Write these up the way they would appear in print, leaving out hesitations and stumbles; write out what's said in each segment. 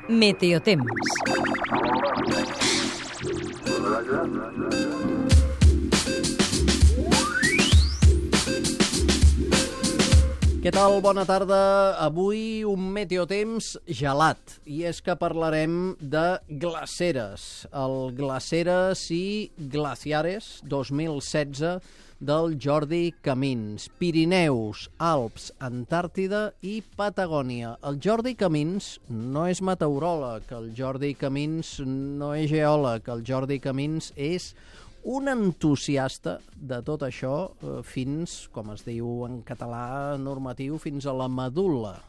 Meteotemps. Què tal? Bona tarda. Avui un meteotemps gelat. I és que parlarem de glaceres. El Glaceres i Glaciares 2016 del Jordi Camins. Pirineus, Alps, Antàrtida i Patagònia. El Jordi Camins no és meteoròleg, el Jordi Camins no és geòleg, el Jordi Camins és un entusiasta de tot això fins, com es diu en català normatiu, fins a la medul·la.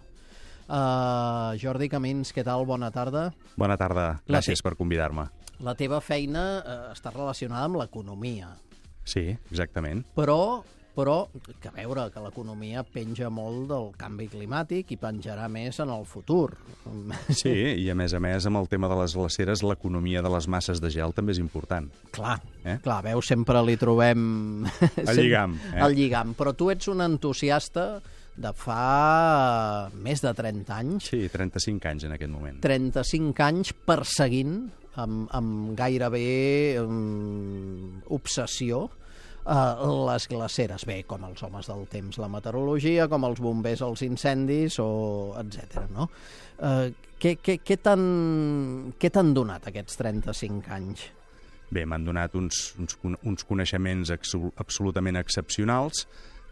Jordi Camins, què tal? Bona tarda. Bona tarda. Gràcies per convidar-me. La teva feina està relacionada amb l'economia. Sí, exactament. Però, que a veure, que l'economia penja molt del canvi climàtic i penjarà més en el futur. Sí, i a més, amb el tema de les glaceres, l'economia de les masses de gel també és important. Clar, veus, sempre li trobem... El lligam. El lligam, però tu ets un entusiasta de fa més de 30 anys. Sí, 35 anys en aquest moment. 35 anys perseguint amb gairebé obsessió les glaceres. Bé, com els homes del temps, la meteorologia, com els bombers els incendis, etc. No? Què t'han donat aquests 35 anys? Bé, m'han donat uns coneixements absolutament excepcionals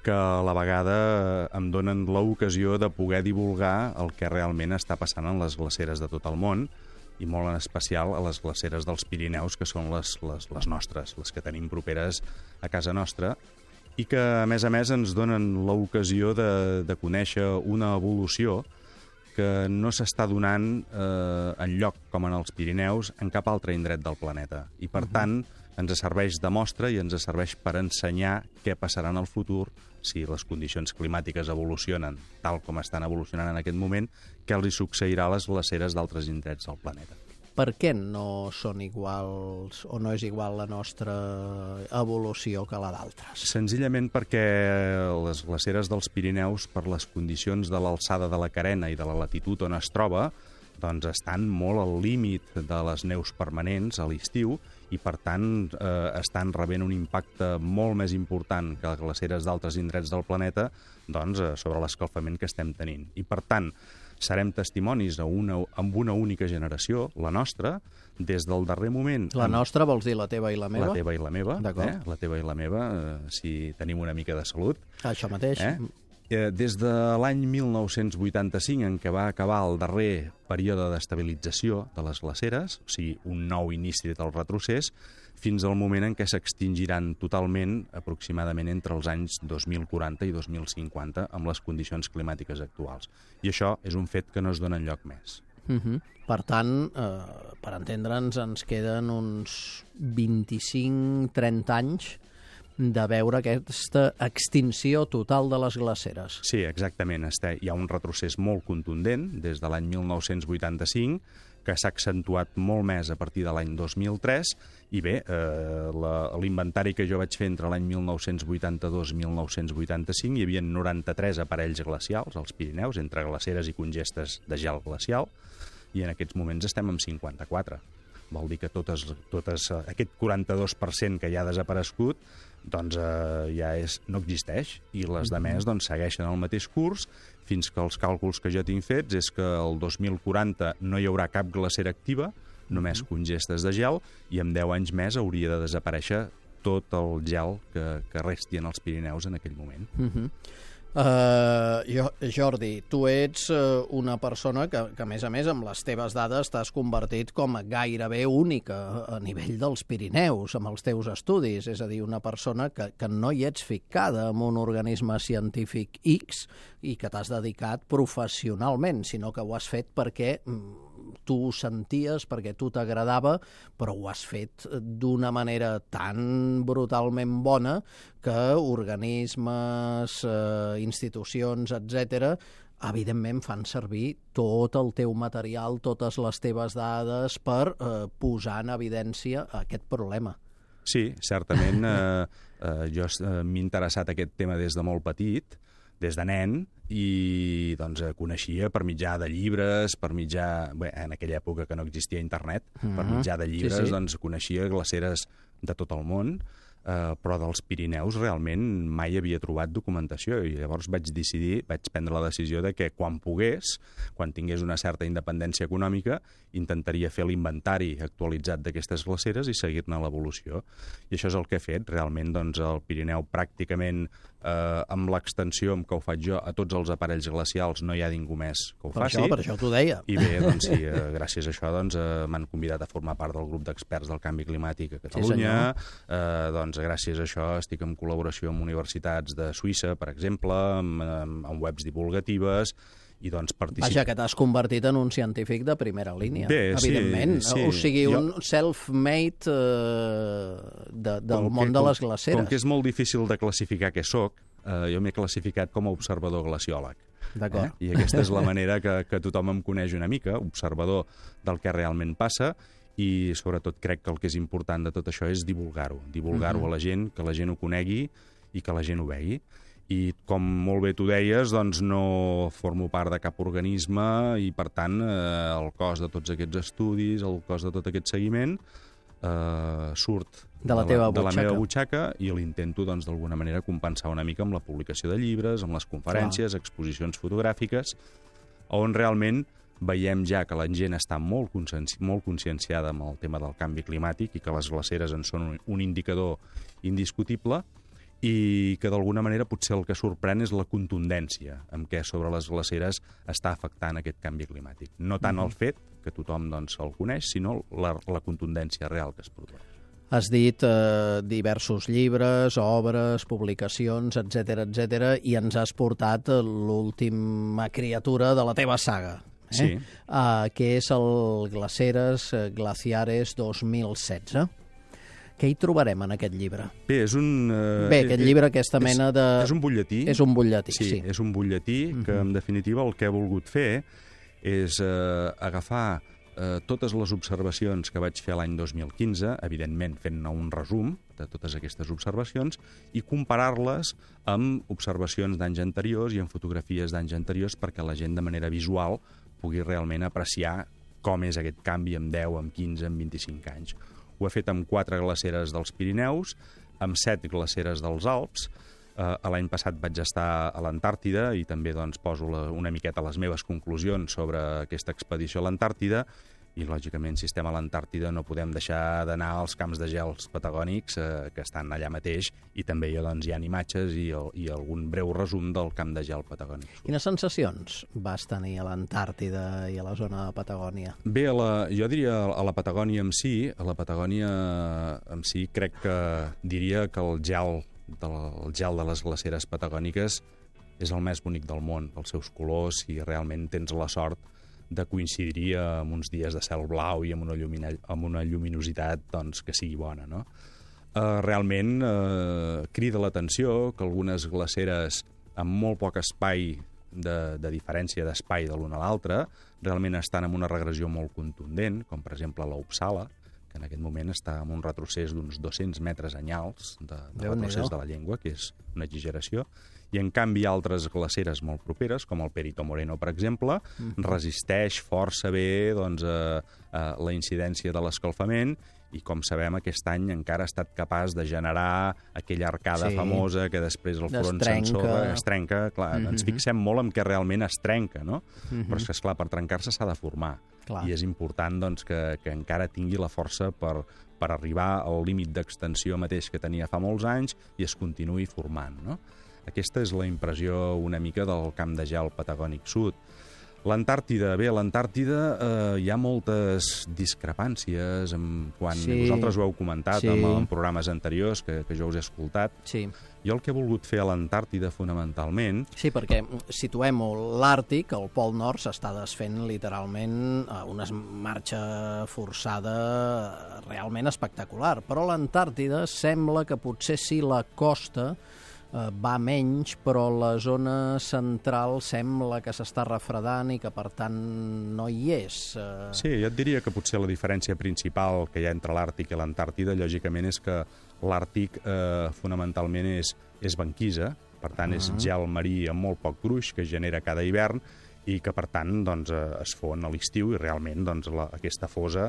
que a la vegada em donen l'ocasió de poder divulgar el que realment està passant en les glaceres de tot el món, i molt en especial a les glaceres dels Pirineus, que són les nostres, les que tenim properes a casa nostra, i que, a més, ens donen l'ocasió de conèixer una evolució que no s'està donant enlloc, com en els Pirineus, en cap altre indret del planeta. I, per tant, ens serveix de mostra i ens serveix per ensenyar què passarà en el futur si les condicions climàtiques evolucionen tal com estan evolucionant en aquest moment, què els hi succeirà a les glaceres d'altres indrets del planeta. Per què no són iguals o no és igual la nostra evolució que la d'altres? Senzillament perquè les glaceres dels Pirineus, per les condicions de l'alçada de la carena i de la latitud on es troba, doncs estan molt al límit de les neus permanents a l'estiu i, per tant, estan rebent un impacte molt més important que les glaceres d'altres indrets del planeta sobre l'escalfament que estem tenint. I, per tant, serem testimonis amb una única generació, la nostra, des del darrer moment... La nostra vols dir la teva i la meva? La teva i la meva, la teva i la meva, si tenim una mica de salut. Això mateix. Des de l'any 1985, en què va acabar el darrer període d'estabilització de les glaceres, o sigui, un nou inici del retrocés, fins al moment en què s'extingiran totalment, aproximadament entre els anys 2040 i 2050, amb les condicions climàtiques actuals. I això és un fet que no es dona enlloc més. Per tant, per entendre'ns, ens queden uns 25-30 anys de veure aquesta extinció total de les glaceres. Sí, exactament. Hi ha un retrocés molt contundent des de l'any 1985, que s'ha accentuat molt més a partir de l'any 2003, i bé, l'inventari que jo vaig fer entre l'any 1982 i 1985 hi havia 93 aparells glacials als Pirineus, entre glaceres i congestes de gel glacial, i en aquests moments estem amb 54. Vol dir que aquest 42% que ja ha desaparegut doncs ja no existeix, i les demés segueixen el mateix curs, fins que els càlculs que jo tinc fets és que el 2040 no hi haurà cap glacera activa, només congestes de gel, i en 10 anys més hauria de desaparèixer tot el gel que resti en els Pirineus en aquell moment. Jordi, tu ets una persona que, a més, amb les teves dades t'has convertit com a gairebé única a nivell dels Pirineus, amb els teus estudis. És a dir, una persona que no hi ets ficada en un organisme científic X i que t'has dedicat professionalment, sinó que ho has fet perquè tu ho senties, perquè tu t'agradava, però ho has fet d'una manera tan brutalment bona que organismes, institucions, etc., evidentment fan servir tot el teu material, totes les teves dades per posar en evidència aquest problema. Sí, certament jo m'he interessat aquest tema des de molt petit. des de nen, i doncs coneixia per mitjà de llibres, per mitjà, bé, en aquella època que no existia internet, per mitjà de llibres, doncs coneixia glaceres de tot el món, però dels Pirineus realment mai havia trobat documentació, i llavors vaig prendre la decisió de que quan pogués, quan tingués una certa independència econòmica, intentaria fer l'inventari actualitzat d'aquestes glaceres i seguir-ne l'evolució. I això és el que he fet. Realment, doncs, el Pirineu pràcticament, amb l'extensió amb què ho faig jo, a tots els aparells glacials no hi ha ningú més que ho faci. Per això t'ho deia. I bé, doncs sí, gràcies a això doncs, m'han convidat a formar part del grup d'experts del canvi climàtic a Catalunya. Doncs gràcies a això estic en col·laboració amb universitats de Suïssa, per exemple, amb webs divulgatives, i doncs Vaja, que t'has convertit en un científic de primera línia, bé, evidentment. Sí. O sigui, un self-made del món de les glaceres. Com que és molt difícil de classificar què sóc, jo m'he classificat com a observador glaciòleg. D'acord. I aquesta és la manera que tothom em coneix una mica, observador del que realment passa, i sobretot crec que el que és important de tot això és divulgar-ho a la gent, que la gent ho conegui i que la gent ho vegi. I com molt bé tu deies, doncs no formo part de cap organisme i, per tant, el cost de tots aquests estudis, el cost de tot aquest seguiment, surt de la meva butxaca, i l'intento, doncs, d'alguna manera compensar una mica amb la publicació de llibres, amb les conferències, exposicions fotogràfiques, on realment veiem ja que la gent està molt conscienciada amb el tema del canvi climàtic i que les glaceres en són un indicador indiscutible, i que d'alguna manera potser el que sorprèn és la contundència amb què sobre les glaceres està afectant aquest canvi climàtic. No tant el fet, que tothom doncs, el coneix, sinó la contundència real que es produeix. Has dit diversos llibres, obres, publicacions, etc, i ens has portat l'última criatura de la teva saga, Sí. Que és el Glaciares 2016. Què hi trobarem en aquest llibre? Bé, és un... aquest llibre, aquesta mena de... És un butlletí. És un butlletí, sí. És un butlletí que, en definitiva, el que he volgut fer és agafar totes les observacions que vaig fer l'any 2015, evidentment fent-ne un resum de totes aquestes observacions, i comparar-les amb observacions d'anys anteriors i amb fotografies d'anys anteriors perquè la gent de manera visual pugui realment apreciar com és aquest canvi amb 10, amb 15, amb 25 anys. Ho he fet amb 4 glaceres dels Pirineus, amb 7 glaceres dels Alps. L'any passat vaig estar a l'Antàrtida i també doncs, poso una miqueta les meves conclusions sobre aquesta expedició a l'Antàrtida, i, lògicament, si estem a l'Antàrtida no podem deixar d'anar als camps de gels patagònics que estan allà mateix, i també hi ha imatges i algun breu resum del camp de gel patagònic. Quines sensacions vas tenir a l'Antàrtida i a la zona de Patagònia? Bé, jo diria a la Patagònia en si, crec que diria que el gel de les glaceres patagòniques és el més bonic del món, pels seus colors, i realment tens la sort de coincidir amb uns dies de cel blau i amb una lluminositat doncs, que sigui bona, no? Realment crida l'atenció que algunes glaceres amb molt poc espai de diferència d'espai de l'una a l'altra realment estan en una regressió molt contundent, com per exemple l'Uppsala, que en aquest moment està en un retrocés d'uns 200 metres anyals de retrocés de la llengua, que és una exageració, i en canvi altres glaceres molt properes, com el Perito Moreno, per exemple, resisteix força bé doncs, la incidència de l'escalfament, i com sabem aquest any encara ha estat capaç de generar aquella arcada famosa que després el front s'ensorra, es trenca. Clar, ens fixem molt en què realment es trenca, no? Però és que, esclar, per trencar-se s'ha de formar. I és important doncs, que encara tingui la força per arribar al límit d'extensió mateix que tenia fa molts anys i es continuï formant, no? Aquesta és la impressió una mica del camp de gel patagònic sud. L'Antàrtida, bé, a l'Antàrtida hi ha moltes discrepàncies quan vosaltres ho heu comentat en programes anteriors que jo us he escoltat. Jo el que he volgut fer a l'Antàrtida fonamentalment... Sí, perquè situem-ho, l'Àrtic, el Pol Nord, s'està desfent literalment una marxa forçada realment espectacular, però l'Antàrtida sembla que potser sí la costa va menys, però la zona central sembla que s'està refredant i que, per tant, no hi és. Sí, jo et diria que potser la diferència principal que hi ha entre l'Àrtic i l'Antàrtida, lògicament, és que l'Àrtic fonamentalment és banquisa, Per tant, és gel marí amb molt poc gruix que es genera cada hivern i que, per tant, doncs, es fon a l'estiu i realment doncs, aquesta fosa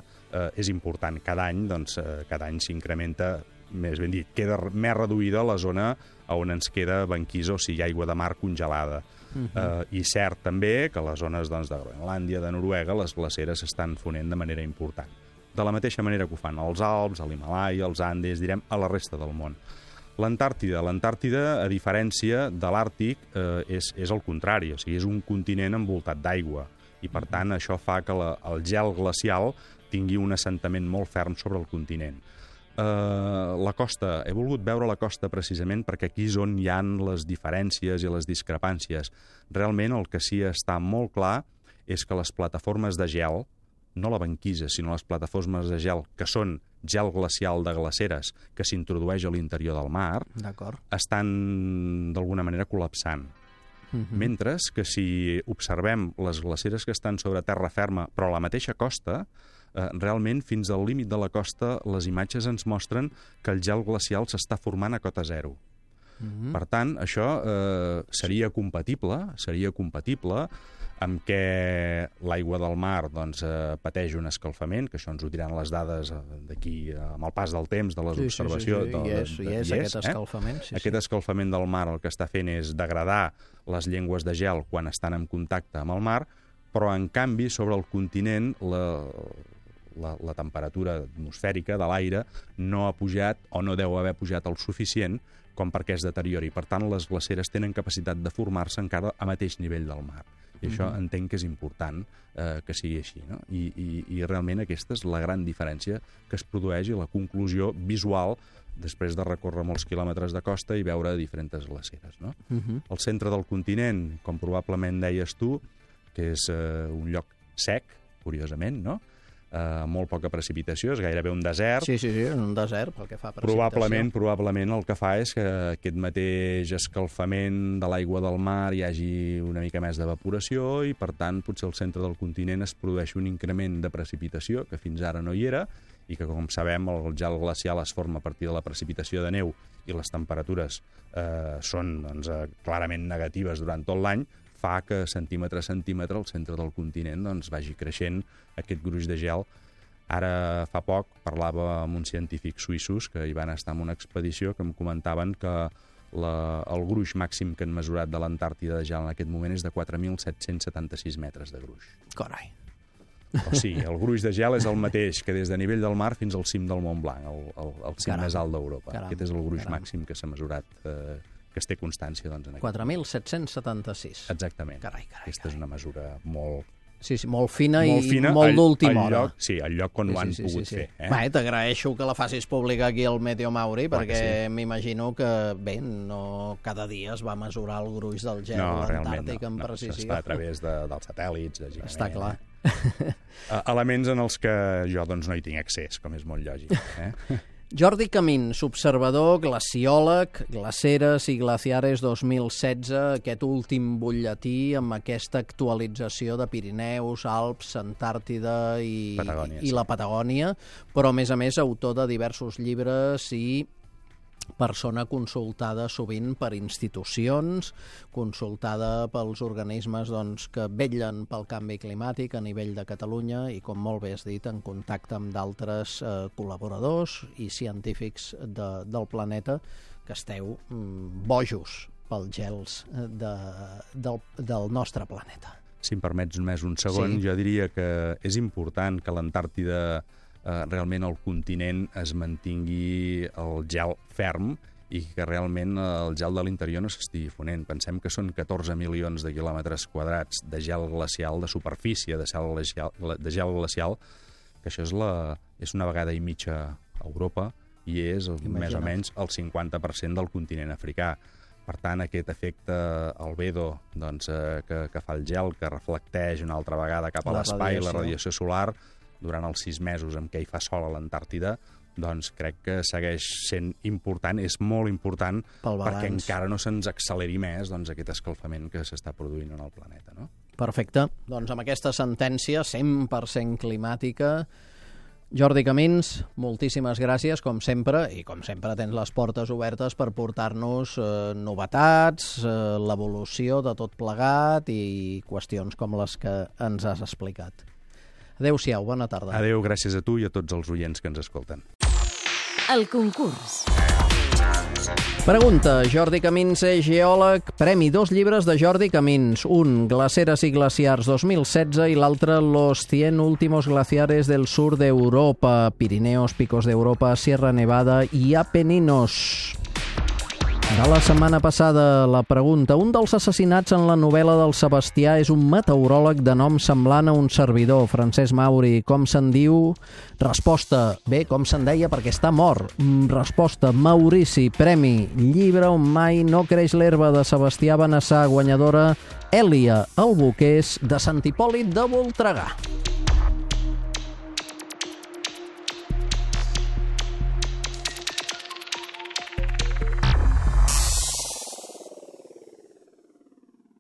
és important. Cada any s'incrementa, més ben dit, queda més reduïda la zona on ens queda banquisa, o sigui, aigua de mar congelada. I cert també que les zones doncs, de Groenlàndia, de Noruega, les glaceres s'estan fonent de manera important. De la mateixa manera que ho fan als Alps, a l'Himàlaia, als Andes, direm, a la resta del món. L'Antàrtida, a diferència de l'Àrtic, és el contrari, o sigui, és un continent envoltat d'aigua i, per tant, això fa que el gel glacial tingui un assentament molt ferm sobre el continent. La costa, he volgut veure la costa precisament perquè aquí és on hi ha les diferències i les discrepàncies. Realment el que sí està molt clar és que les plataformes de gel, no la banquisa, sinó les plataformes de gel, que són gel glacial de glaceres que s'introdueix a l'interior del mar, estan d'alguna manera col·lapsant. Mentre que si observem les glaceres que estan sobre terra ferma, però a la mateixa costa, realment fins al límit de la costa les imatges ens mostren que el gel glacial s'està formant a cota zero. Per tant, això seria compatible amb què l'aigua del mar pateix un escalfament, que això ens ho diran les dades d'aquí amb el pas del temps, de les observacions. Hi és aquest escalfament. Aquest escalfament del mar el que està fent és degradar les llengües de gel quan estan en contacte amb el mar, però en canvi sobre el continent la temperatura atmosfèrica de l'aire no ha pujat o no deu haver pujat el suficient com perquè es deteriori. Per tant, les glaceres tenen capacitat de formar-se encara a mateix nivell del mar. I això entenc que és important que sigui així, no? I realment aquesta és la gran diferència que es produeix i la conclusió visual després de recórrer molts quilòmetres de costa i veure diferents glaceres, no? El centre del continent, com probablement deies tu, que és un lloc sec, curiosament, no? Molt poca precipitació, és gairebé un desert. Sí, un desert, pel que fa a precipitació. Probablement el que fa és que aquest mateix escalfament de l'aigua del mar hi hagi una mica més d'evaporació i, per tant, potser al centre del continent es produeix un increment de precipitació que fins ara no hi era i que, com sabem, el gel glacial es forma a partir de la precipitació de neu i les temperatures són clarament negatives durant tot l'any, fa que centímetre a centímetre el centre del continent vagi creixent aquest gruix de gel. Ara fa poc parlava amb uns científics suïssos que hi van estar en una expedició que em comentaven que el gruix màxim que han mesurat de l'Antàrtida de gel en aquest moment és de 4.776 metres de gruix. Carai. O sigui, el gruix de gel és el mateix que des de nivell del mar fins al cim del Mont Blanc, el cim més alt d'Europa. Aquest és el gruix màxim que s'ha mesurat, que es té constància en aquest 4.776. Exactament. Aquesta és una mesura molt... Sí, molt fina i molt d'última hora. Sí, al lloc on ho han pogut fer. T'agraeixo que la facis pública aquí al Meteo Mauri, perquè m'imagino que, bé, no cada dia es va mesurar el gruix del gel a l'Antàrtic amb precisió. Això es fa a través dels satèl·lits. Està clar. Elements en els que jo no hi tinc accés, com és molt lògic. Jordi Camins, observador, glaciòleg, Glaceres i Glaciares 2016, aquest últim butlletí amb aquesta actualització de Pirineus, Alps, Antàrtida i la Patagònia, però a més autor de diversos llibres i persona consultada sovint per institucions, consultada pels organismes que vetllen pel canvi climàtic a nivell de Catalunya i, com molt bé has dit, en contacte amb d'altres col·laboradors i científics del planeta que esteu bojos pels gels del nostre planeta. Si em permets només un segon, jo diria que és important que l'Antàrtida realment el continent es mantingui el gel ferm i que realment el gel de l'interior no s'estigui fonent. Pensem que són 14 milions de quilòmetres quadrats de gel glacial, de superfície de gel glacial, que això és una vegada i mitja a Europa i és més o menys el 50% del continent africà. Per tant, aquest efecte albedo que fa el gel, que reflecteix una altra vegada cap a l'espai, la radiació solar, durant els 6 mesos en què hi fa sol a l'Antàrtida, crec que segueix sent important, és molt important, perquè encara no se'ns acceleri més aquest escalfament que s'està produint en el planeta. Perfecte. Amb aquesta sentència 100% climàtica Jordi Camins, moltíssimes gràcies, com sempre, i com sempre tens les portes obertes per portar-nos novetats, l'evolució de tot plegat i qüestions com les que ens has explicat. Adéu-siau, bona tarda. Adéu, gràcies a tu i a tots els oients que ens escolten. El concurs. Pregunta, Jordi Camins és geòleg, premi 2 llibres de Jordi Camins, un Glaceres i glaciars 2016 i l'altre Los 100 últimos glaciares del sur d'Europa, Pirineos, Picos d'Europa, Sierra Nevada i Apeninos. De la setmana passada, la pregunta. Un dels assassinats en la novel·la del Sebastià és un meteoròleg de nom semblant a un servidor, Francesc Mauri. Com se'n diu? Resposta. Bé, com se'n deia perquè està mort. Resposta. Maurici. Premi. Llibre on mai no creix l'herba de Sebastià Benassar, guanyadora Èlia Albuqués de Sant Hipòlit de Voltregà.